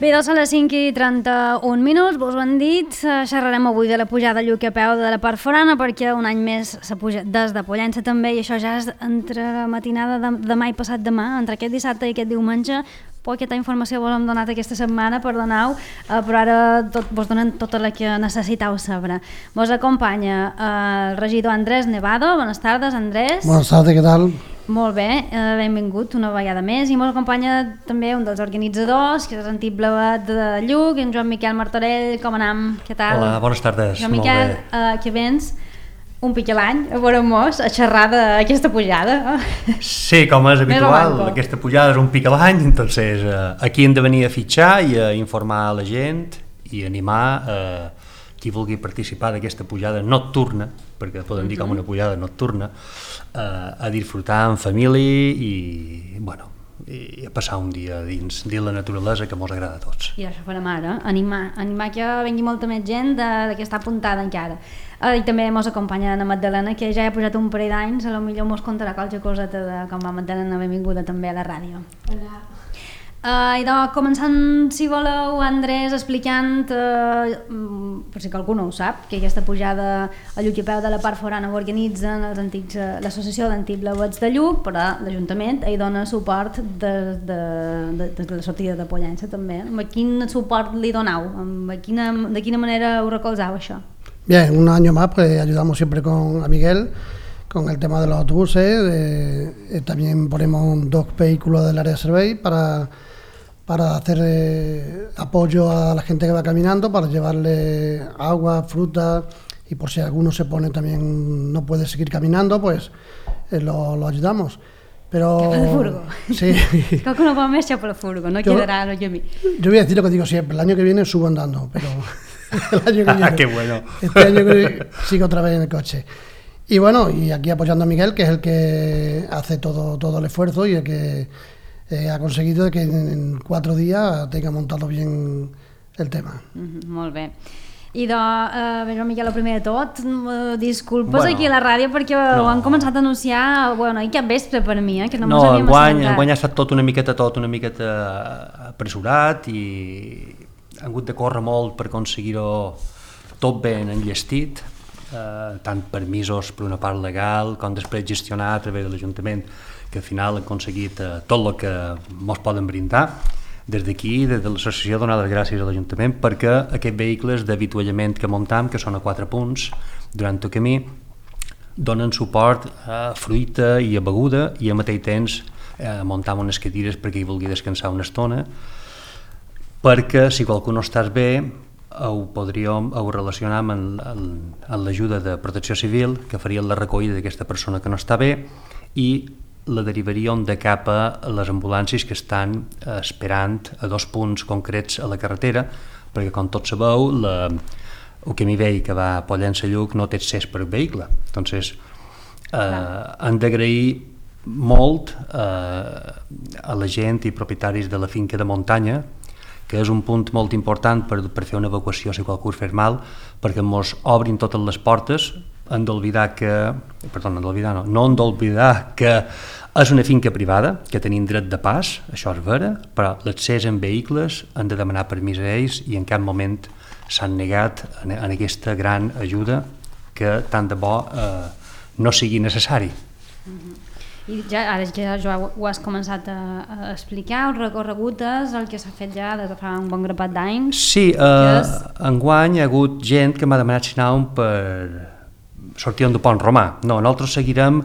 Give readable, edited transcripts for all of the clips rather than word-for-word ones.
Bé, doncs a les 5:31, vos ho han dit, xerrarem avui de la pujada a Lluc a peu de la part forana perquè un any més s'ha pujat des de Pollença també, i això ja és entre la matinada de demà i passat demà, entre aquest dissabte i aquest diumenge. Poqueta informació vos hem donat aquesta setmana, perdoneu, però ara vos donen tota la que necessiteu saber. Vos acompanya el regidor Andrés Nevado. Bones tardes, Andrés. Bones tardes, què tal? Molt bé, benvingut una vegada més, i ens acompanya també un dels organitzadors, que és l'antic Blavet de Lluc, en Joan Miquel Martorell. Com anem? Què tal? Hola, bones tardes. Joan Miquel, que vens un pic a l'any a veure-mos a xerrar d'aquesta pujada. Sí, com és habitual, aquesta pujada és un pic a l'any, entonces aquí hem de venir a fitxar i a informar la gent i animar qui vulgui participar d'aquesta pujada nocturna, perquè podem dir com una pujada nocturna, a disfrutar en família i, bueno, i a passar un dia dins la naturalesa que ens agrada a tots. I això farem ara, animar que vengui molta més gent de que està apuntada encara. I també ens acompanya Anna Magdalena, que ja ha pujat un parell d'anys, potser ens contarà qualque coseta de com va Magdalena, benvinguda també a la ràdio. Hola. I doncs, començant, si voleu, Andrés, explicant, per si algú no ho sap, que aquesta pujada a Lluc i a peu de la part forana ho organitzen l'associació d'antics Blavets de Lluc, però l'Ajuntament hi dona suport des de la sortida de Pollença també. Amb quin suport li doneu? De quina manera ho recolzeu, això? Bien, un año más pues ayudamos siempre a Miguel con el tema de los autobuses. También ponemos 2 vehículos del área de Servei para hacer apoyo a la gente que va caminando, para llevarle agua, fruta, y por si alguno se pone también no puede seguir caminando, pues lo ayudamos. Pero Xapa de furgo. Sí. Creo que no va més xapa de furgo, no quedará lo que a mí. Yo voy a decir lo que digo siempre, el año que viene subo andando, pero el año que viene, ¡Qué bueno! Este año que sigo otra vez en el coche. Y bueno, y aquí apoyando a Miguel, que es el que hace todo el esfuerzo y el que ha conseguido que en 4 días tenga montado bien el tema. Molt bé. I Joan Miquel, el primer de tot, disculpes aquí a la ràdio perquè ho han començat a anunciar, i cap vespre per mi, que no m'ho sabíem assegurat. Enguany ha estat tot una miqueta apressurat i han hagut de córrer molt per aconseguir-ho tot ben enllestit, tant permisos per una part legal com després gestionar a través de l'Ajuntament, que al final han aconseguit tot el que ens poden brindar. Des d'aquí, des de l'associació, donar les gràcies a l'Ajuntament perquè aquests vehicles d'avituallament que muntam, que són a 4 punts durant el camí, donen suport a fruita i a beguda i al mateix temps muntam unes cadires perquè hi vulgui descansar una estona, perquè si qualcú no estàs bé ho relacionam amb l'ajuda de Protecció Civil, que farien la recollida d'aquesta persona que no està bé i la derivaríem de cap a les ambulàncies que estan esperant a 2 punts concrets a la carretera, perquè com tots sabeu el camí vell que va a Pollença Lluc no té accés per vehicle. Entonces han d'agrair molt a la gent i propietaris de la finca de muntanya, que és un punt molt important per fer una evacuació si qualcú es fa mal, perquè ens obrin totes les portes. No hem d'oblidar que és una finca privada, que tenim dret de pas, això és vera, però l'accés en vehicles han de demanar permís a ells i en cap moment s'han negat en aquesta gran ajuda que tant de bo no sigui necessari. I ara ja ho has començat a explicar, el recorregut és el que s'ha fet ja des de fa un bon grapat d'anys. Sí, enguany hi ha hagut gent que m'ha demanat si anàvem per sortir del Pont Romà. No, nosaltres seguirem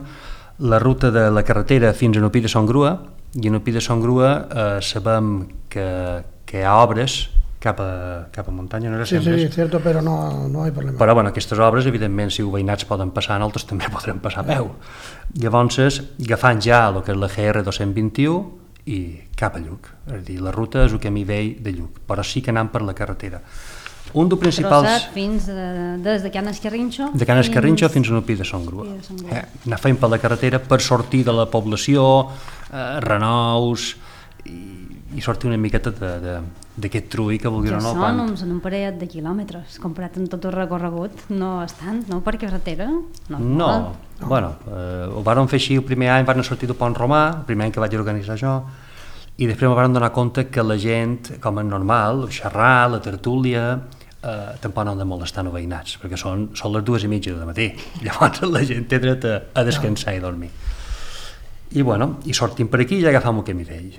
la ruta de la carretera fins a Nupí de Son Grua, i a Nupí de Son Grua sabem que hi ha obres cap a muntanya, no era sempre? Sí, és cert, però no hi ha problema. Però aquestes obres, evidentment, si els veïnats poden passar, nosaltres també podrem passar a peu. Llavors, agafant ja el que és la GR 221 i cap a Lluc. És a dir, la ruta és el camí vell de Lluc, però sí que anem per la carretera. Un dels principals... Des de Can Esquerrinxo? De Can Esquerrinxo fins a Nupí de Son Grua. Anar fent per la carretera per sortir de la població, Renous, i sortir una miqueta d'aquest trull que vulguin o no. Ja són un parell de quilòmetres, comparat amb tot el recorregut, no és tant, no? Per carretera? No. Ho vàrem fer així el primer any, vam sortir del Pont Romà, el primer any que vaig organitzar jo, i després vam donar compte que la gent, com és normal, xerrar, la tertúlia, tampoc no han de molestar els veïnats, perquè són les 2:30 del matí, llavors la gent té dret a descansar i dormir. I bueno, i sortim per aquí i ja agafam el camí vell.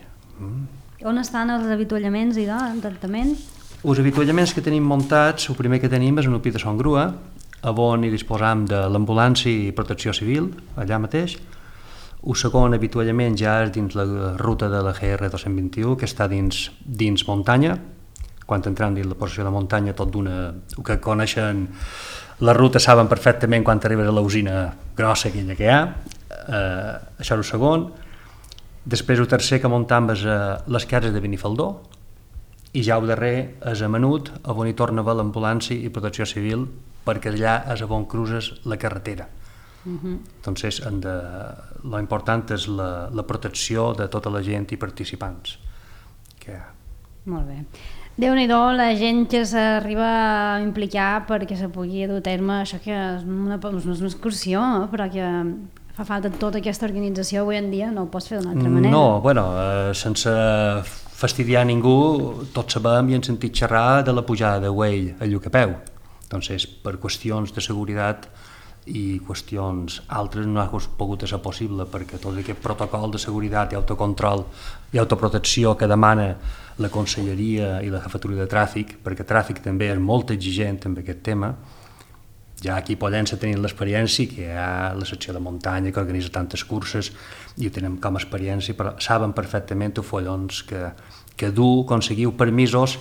On estan els avituallaments i el tractament? Els avituallaments que tenim muntats, el primer que tenim és un Upit de Son Grua, on hi disposam de l'ambulància i protecció civil, allà mateix. El segon avituallament ja és dins la ruta de la GR 221, que està dins muntanya. Quan entrem dins la posició de muntanya, tot d'una... que coneixen la ruta saben perfectament quan arribes a la usina grossa aquella que hi ha. Això és el segon. Després el tercer que muntam és les cases de Benifaldó, i ja el darrer és a Menut, on hi torna a haver l'ambulància i protecció civil, perquè allà és on cruces la carretera. Entonces, lo important és la protecció de tota la gent i participants. Molt bé. Déu-n'hi-do la gent que s'arriba a implicar perquè se pugui dur a terme això que és una excursió, però que fa falta tota aquesta organització avui en dia, no ho pots fer d'una altra manera. No, bueno, sense fastidiar ningú, tots sabem i hem sentit xerrar de la pujada de Güell a Llucapeu. Entonces, per qüestions de seguretat i qüestions altres no ha pogut ser possible, perquè tot aquest protocol de seguretat i autocontrol i autoprotecció que demana la Conselleria i la Jefatura de Tràfic, perquè Tràfic també és molt exigent amb aquest tema. Ja aquí a Pollença tenim l'experiència que hi ha la secció de muntanya que organitza tantes curses i ho tenim com a experiència, però saben perfectament els follons que du, aconseguiu permisos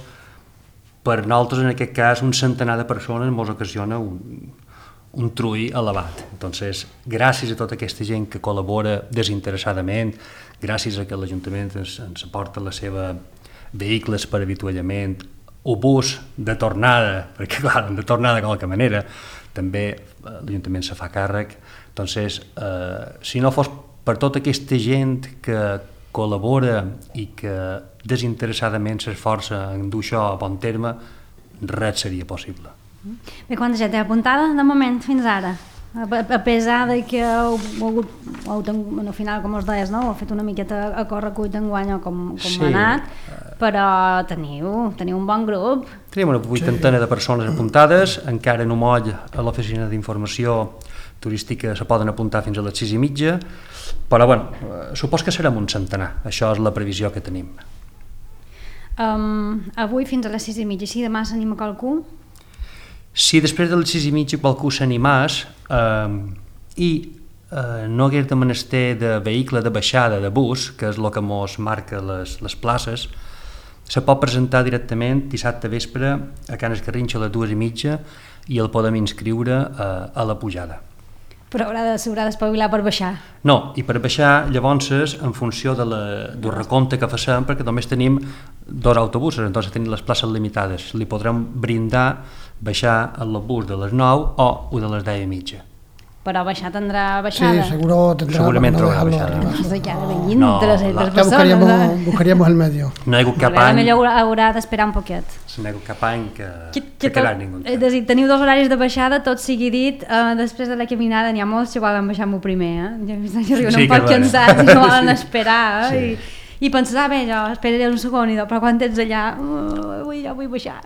per nosaltres, en aquest cas, un centenar de persones ens ocasiona un trull elevat. Entonces, gràcies a tota aquesta gent que col·labora desinteressadament, gràcies a que l'Ajuntament ens aporta la seva vehicles per avituallament, o bus de tornada, perquè clar, de tornada de qualque manera, també l'Ajuntament se fa càrrec. Entonces, si no fos per tota aquesta gent que col·labora i que desinteressadament s'esforça en dur això a bon terme, res seria possible. Bé, quanta gent té apuntada de moment fins ara? A pesar de que al final, com us deies, no? Heu fet una miqueta a correcuit d'enguany com sí. Ha anat, però teniu un bon grup. Tenim una 80 de persones apuntades, encara no moll a l'oficina d'informació turística se poden apuntar fins a les 6:30, però bueno, supos que serem un centenar, això és la previsió que tenim. Avui fins a les 6:30, si demà s'anima qualcú? Si després de les 6:30 qualcú s'animàs i no hagués de menester de vehicle de baixada de bus, que és el que mos marca les places, se pot presentar directament dissabte vespre a Can Escarrinxa a les 2:30 i el podem inscriure a la pujada. Però s'haurà d'espavilar per baixar. No, i per baixar, llavors, en funció del recompte que facem, perquè només tenim 2 autobusos, entonces tenim les places limitades, li podrem brindar baixar el bus de les 9 o el de les 10:30. Però baixar tindrà baixada. Sí, segurament trobarà baixada. Buscaríamos el medio. No hi ha hagut cap any. Millor haurà d'esperar un poquet. No hi ha hagut cap any que quedarà ningú. És a dir, teniu 2 horaris de baixada, tot sigui dit, després de la caminada n'hi ha molts que volen baixar amb el primer, ja arriben un poc cansats i no volen esperar, i penses, bé, jo esperaré un segon, però quan ets allà, jo vull baixar.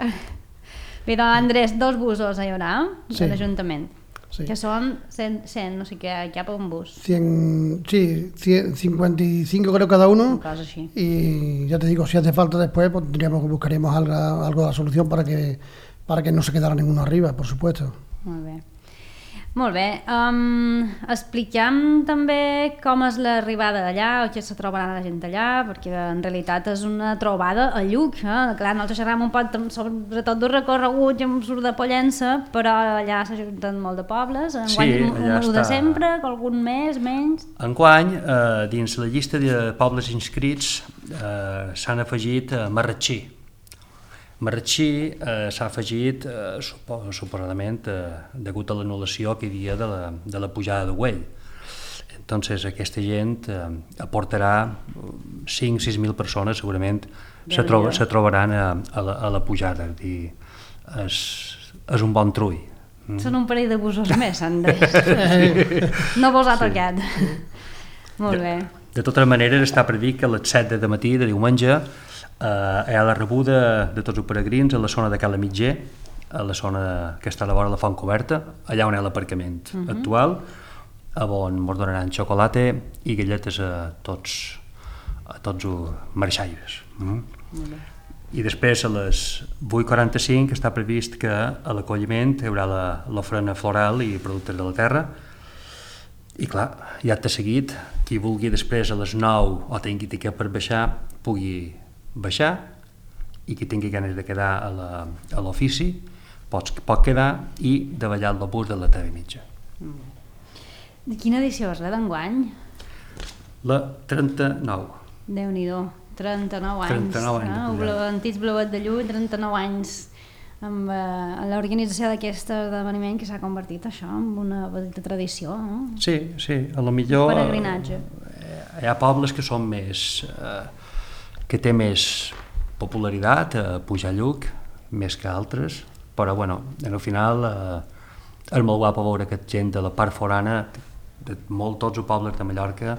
Bé, doncs Andrés, 2 busos hi haurà de l'Ajuntament. Sí. Que son 100, no sé qué cap un bus. 55 creo cada uno. Así. Y ya te digo, si hace falta después, pues buscaríamos algo de la solución para que no se quedara ninguno arriba, por supuesto. Molt bé. Molt bé. Expliquem també com és l'arribada d'allà, o què se trobarà la gent allà, perquè en realitat és una trobada a Lluc. Clar, nosaltres xerram un poc sobretot d'un recorregut i un surt de Pollença, però allà s'ajunten molt de pobles. Enguany un de sempre, algun més, menys? Enguany, dins la llista de pobles inscrits s'han afegit Marratxí. Marratxí s'ha afegit, suposadament, degut a l'anul·lació que hi havia de la pujada de Güell. Entonces, aquesta gent aportarà 5.000-6.000 persones, segurament se trobaran a la pujada. És un bon trull. Són un parell de busos més, Andrés. No vos ha tocat. Molt bé. De totes maneres, està previst que a les 7 de matí de diumenge hi ha la rebuda de tots els peregrins a la zona de Cala Mitger, a la zona que està a la vora de la Font Coberta, allà on hi ha l'aparcament actual, on ens donaran xocolata i galletes a tots els marxaires. I després a les 8:45 està previst que a l'acolliment hi haurà l'ofrena floral i productes de la terra. I clar, ja t'ha seguit, qui vulgui després a les 9 o tingui tiquet per baixar, pugui baixar, i qui tingui ganes de quedar a l'ofici pot quedar i davallar el bus de la 3:30. De quina edició és la d'enguany? La 39. Déu-n'hi-do, 39 anys. 39 anys. Antics Blauet de Llull, 39 anys amb l'organització d'aquest esdeveniment que s'ha convertit això en una petita tradició, no? Sí, a lo millor peregrinatge. Hi ha pobles que són més que té més popularitat a pujar a Lluc més que altres, però bueno, al final és molt guapo veure que gent de la part forana de tots els pobles de Mallorca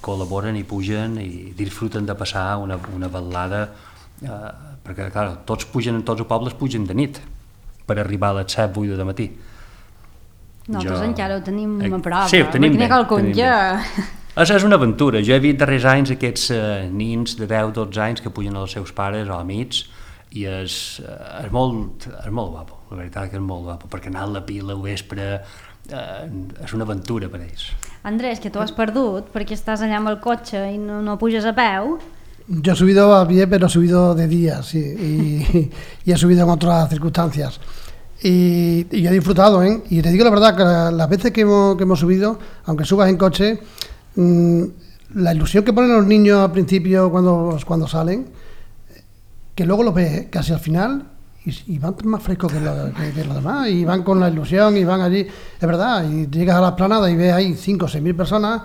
col·laboren i pugen i disfruten de passar una vetllada, perquè clar, tots els pobles pugen de nit per arribar a les 7-8 de matí. Nosaltres encara ho tenim a prop. Sí, ho tenim bé. És una aventura. Jo he vist darrers anys aquests nins de 10-12 anys que pugen als seus pares o amics i és molt guapo, la veritat que és molt guapo, perquè anar a la pila al vespre és una aventura per ells. Andrés, que tu has perdut perquè estàs allà amb el cotxe i no puges a peu. Yo he subido a pie, pero he subido de día, sí, y he subido en otras circunstancias. Y he disfrutado, ¿eh? Y te digo la verdad, que las veces que hemos subido, aunque subas en coche, la ilusión que ponen los niños al principio cuando salen, que luego los ves casi al final y van más frescos que los demás, y van con la ilusión y van allí, es verdad, y llegas a la esplanada y ves ahí 5 o 6 mil personas,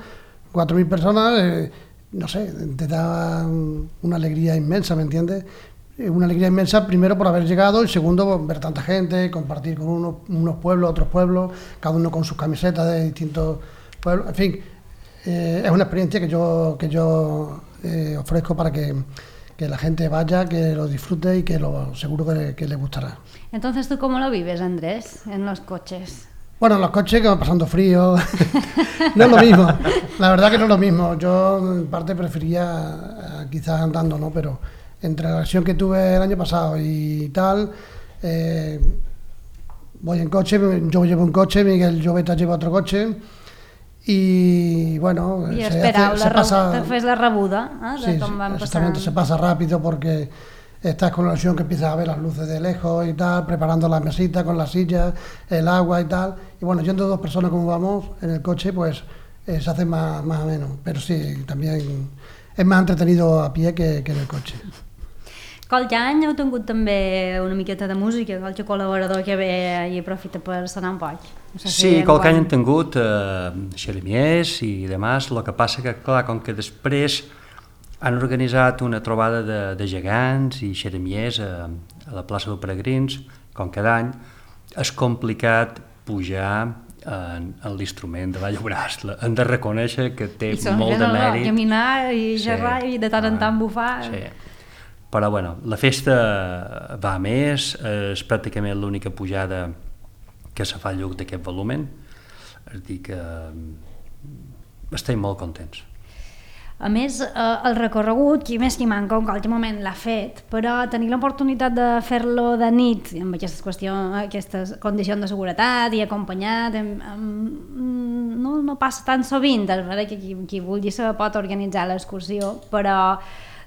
4.000 personas, no sé, te da una alegría inmensa, ¿me entiendes? Una alegría inmensa, primero por haber llegado y segundo por ver tanta gente, compartir con unos pueblos, otros pueblos, cada uno con sus camisetas de distintos pueblos, en fin, es una experiencia que yo ofrezco para que la gente vaya, que lo disfrute y que seguro que le gustará. Entonces, ¿tú cómo lo vives, Andrés, en los coches? Bueno, en los coches que van pasando frío, no es lo mismo, la verdad que no es lo mismo. Yo en parte prefería quizás andando, ¿no? Pero entre la versión que tuve el año pasado y tal, voy en coche, yo llevo un coche, Miguel Lloveta lleva otro coche y bueno, se pasa... Te fes la rebuda, de com van exactamente, se pasa rápido porque estás con la ilusión que empiezas a ver las luces de lejos y tal, preparando las mesitas con las sillas, el agua y tal. Y bueno, yendo 2 personas como vamos en el coche, pues se hace más o menos. Pero sí, también es más entretenido a pie que en el coche. Qualque any heu tingut també una miqueta de música, qualque col·laborador que ve i aprofita per sonar un poc. No sé sí, qualque any hem tingut xeremies i demás, el que passa que, clar, com que després han organitzat una trobada de gegants i xeremiers a la plaça dels Peregrins, com cada any, és complicat pujar en l'instrument de la Llobràs. Hem de reconèixer que té molt de mèrit. Caminar i xerrar i de tant en tant bufar. Sí. Però bueno, la festa va més, és pràcticament l'única pujada que se fa a Lluc d'aquest volumen, és a dir que estem molt contents. A més, el recorregut, qui més qui manca, en qualsevol moment l'ha fet, però tenir l'oportunitat de fer-lo de nit, amb aquestes condicions de seguretat i acompanyat, no passa tan sovint, és veritat que qui vulgui se pot organitzar l'excursió, però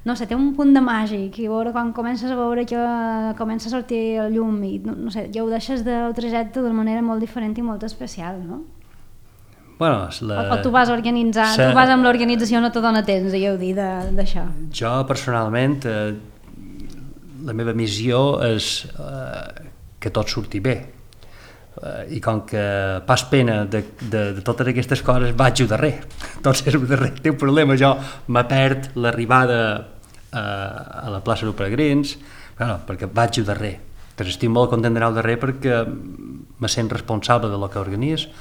no sé, té un punt de màgic i veure quan comences a veure que comença a sortir el llum i no sé, ja ho deixes del trajecte d'una manera molt diferent i molt especial, no? Bueno, o tu vas organitzar, tu vas amb l'organització, no te dona temps a gaudir d'això. Jo personalment la meva missió és que tot surti bé i com que pas pena de totes aquestes coses vaig darrer, tot és darrer, té un problema, jo me perd l'arribada a la plaça dels Peregrins, bueno, perquè vaig darrer, però estic molt content d'anar al darrer perquè me sent responsable de lo que organitzo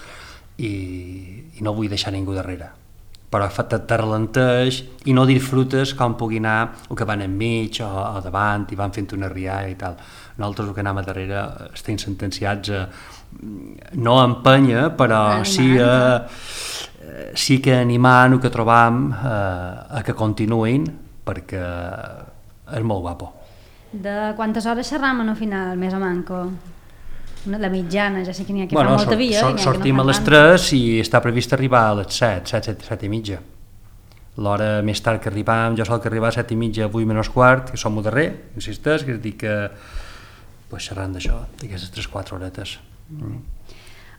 i no vull deixar ningú darrere, però te ralenteix i no disfrutes com pugui anar o que van enmig o davant i van fent una rialla i tal. Nosaltres el que anem a darrere estem sentenciats a no empènyer, però sí que animant el que trobam a que continuïn, perquè és molt guapo. De quantes hores xerram al final, més o manco? La mitjana, ja sé que n'hi ha que fa molta via. Sortim a les 3 i està previst arribar a les 7 i mitja. L'hora més tard que arribam, jo soc arribar a 7 i mitja, 8 menys quart, que som al darrer, insisteix, que és dir que xerrant d'això, d'aquestes 3-4 horetes.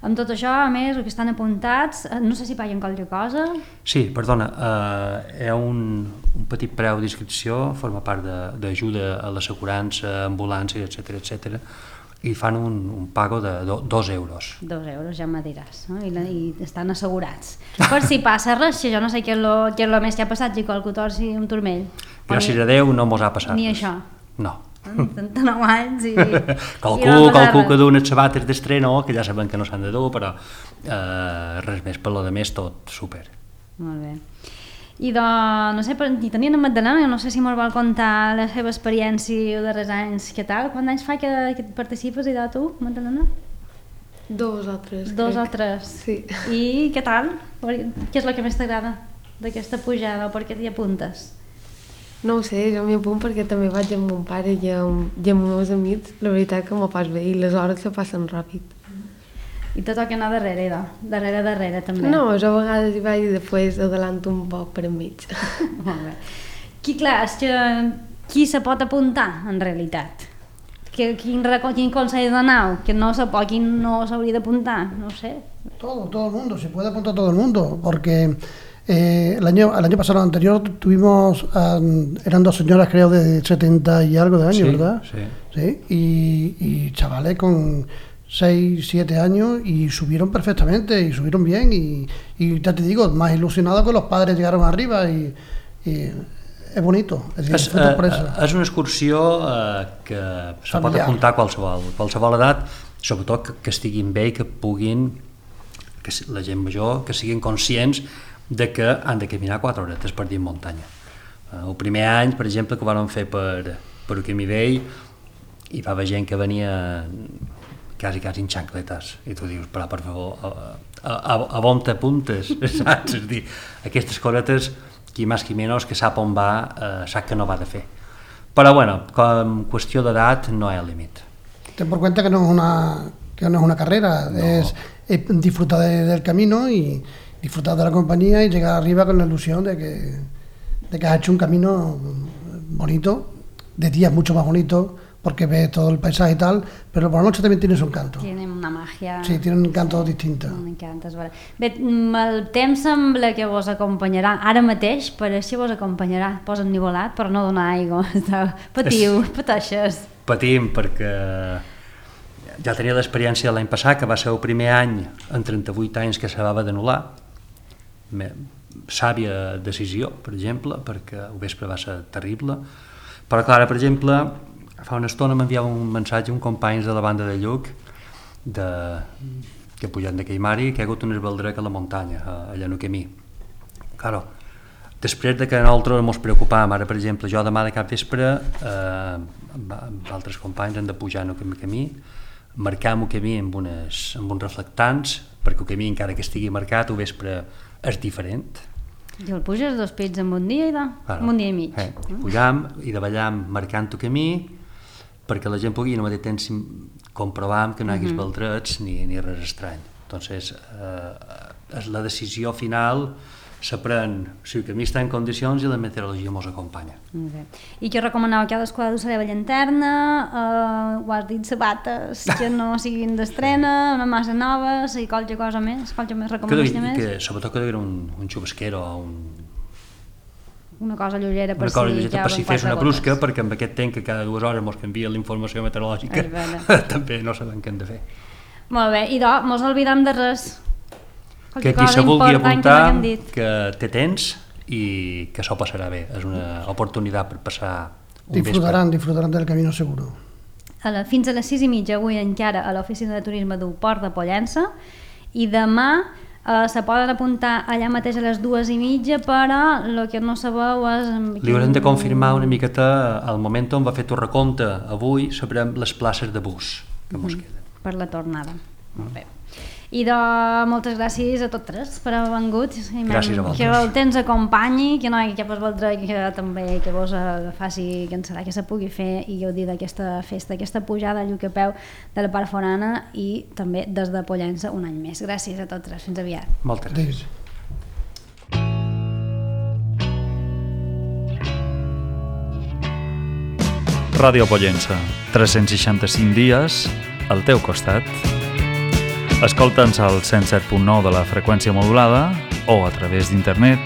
Amb tot això, a més, el que estan apuntats, no sé si paguen qualque cosa? Sí, perdona, hi ha un petit preu d'inscripció, forma part d'ajuda a l'assegurança, ambulància, etc, i fan un pago de 2 euros. 2 euros, ja me diràs, no? I estan assegurats. Per si passa res, jo no sé què és el més que ha passat, si qualcú torci un turmell. Gràcies a Déu no mos ha passat. Ni això? No. 39 anys i... Qualcú que du unes sabates d'estreno, que ja sabem que no s'han de dur, però res més, per lo de més tot super. Molt bé. I no sé, i tenien en Magdalena, no sé si mos vol contar la seva experiència els darrers anys, què tal? Quants anys fa que participes i de tu, Magdalena? 2 o 3, crec. 2 o 3? Sí. I què tal? Què és el que més t'agrada d'aquesta pujada o per què t'hi apuntes? No ho sé, jo m'hi apunto perquè també vaig amb mon pare i amb els meus amics. La veritat que m'ho pas bé i les hores se passen ràpid. I te toca anar darrere, darrere també. No, jo a vegades hi vaig i després adelanto un poc per enmig. Molt bé. Qui se pot apuntar, en realitat? Quin consell donar? Que no se pot, quin no s'hauria d'apuntar? No ho sé. Todo el mundo, se puede apuntar todo el mundo, porque el año pasado anterior tuvimos, eran 2 señoras creo de 70 y algo de años, sí, ¿verdad? Sí. Y chavales con 6, 7 años y subieron perfectamente y subieron bien y ya te digo, más ilusionado que los padres llegaron arriba y és bonito, és una excursió que se pot apuntar qualsevol edat, sobretot que estiguin bé i que puguin, que la gent major, que siguin conscients de que han de caminar 4 horetes per dins muntanya. El primer any, per exemple, que ho vam fer per el Camí Vell, hi va haver gent que venia quasi en xancletes, i tu dius, però per favor, a on t'apuntes, saps? És a dir, aquestes coretes, qui més qui menys, que sap on va, sap que no va de fer. Però bueno, com qüestió d'edat no hi ha límit. Ten por cuenta que no es una carrera, no. Es disfrutar del camino y disfrutar de la compañía y llegar arriba con la ilusión de que has hecho un camino bonito, de días mucho más bonito, porque ves todo el paisaje y tal, pero por la noche también tiene su encanto. Tiene una magia. Sí, tiene un encanto distinto. Un encanto, és veritat. Bé, el temps sembla que vos acompanyarà. Ara mateix pareix que vos acompanyarà. Posa ennivolat per no donar aigua. Pateixes. Patim, perquè ja tenia l'experiència de l'any passat, que va ser el primer any en 38 anys que s'havia d'anul·lar. Sàvia decisió, per exemple, perquè el vespre va ser terrible. Però clar, per exemple, fa una estona m'enviava un mensatge un company de la banda de Lluc que pujant de Caimari, que ha hagut un esbaldrec a la muntanya, allà en el camí. Claro, després de que nosaltres ens preocupàvem, ara per exemple jo demà de cap vespre amb altres companys hem de pujar en el camí, marcar el camí amb uns reflectants, perquè el camí encara que estigui marcat el vespre és diferent. I el puges 2 pits en un dia un dia i mig. Pujam i davallam marcant el camí perquè la gent pugui al mateix temps comprovar que no hi hagués baldrets ni res estrany. Entonces, la decisió final se pren si el camí està en condicions i la meteorologia ens acompanya. I què recomaneu? Cadascú ha d'usar la llanterna, ho has dit, sabates que no siguin d'estrena, una massa nova, si qualque cosa més, qualque més recomanació més? Sobretot que hi hagués un xubasquero o una cosa lleugera per si fes una brusca, perquè amb aquest temps que cada 2 hores ens canvia la informació meteorològica també no sabem què hem de fer. Molt bé, i mos oblidem de res. Que qui se vulgui apuntar, que té temps i que s'ho passarà bé. És una oportunitat per passar un vespre. Disfrutaran del camino seguro. Fins a les 6:30 avui encara a l'oficina de turisme del Port de Pollença i demà Se poden apuntar allà mateix a les 2:30, però el que no sabeu és... Li haurem de confirmar una miqueta al moment on va fer tu recompte. Avui sabrem les places de bus que mos queden. Per la tornada. Molt bé. I moltes gràcies a tots tres per haver vengut. Gràcies a vosaltres. Que el temps acompanyi, que no hi hagi cap altre que també que vos faci que serà que se pugui fer i gaudir d'aquesta festa, aquesta pujada a Lluc a peu de la part forana i també des de Pollença un any més. Gràcies a tots tres. Fins aviat. Moltes gràcies. Ràdio Pollença, 365 dies al teu costat. Escolta'ns al 107.9 de la freqüència modulada o a través d'internet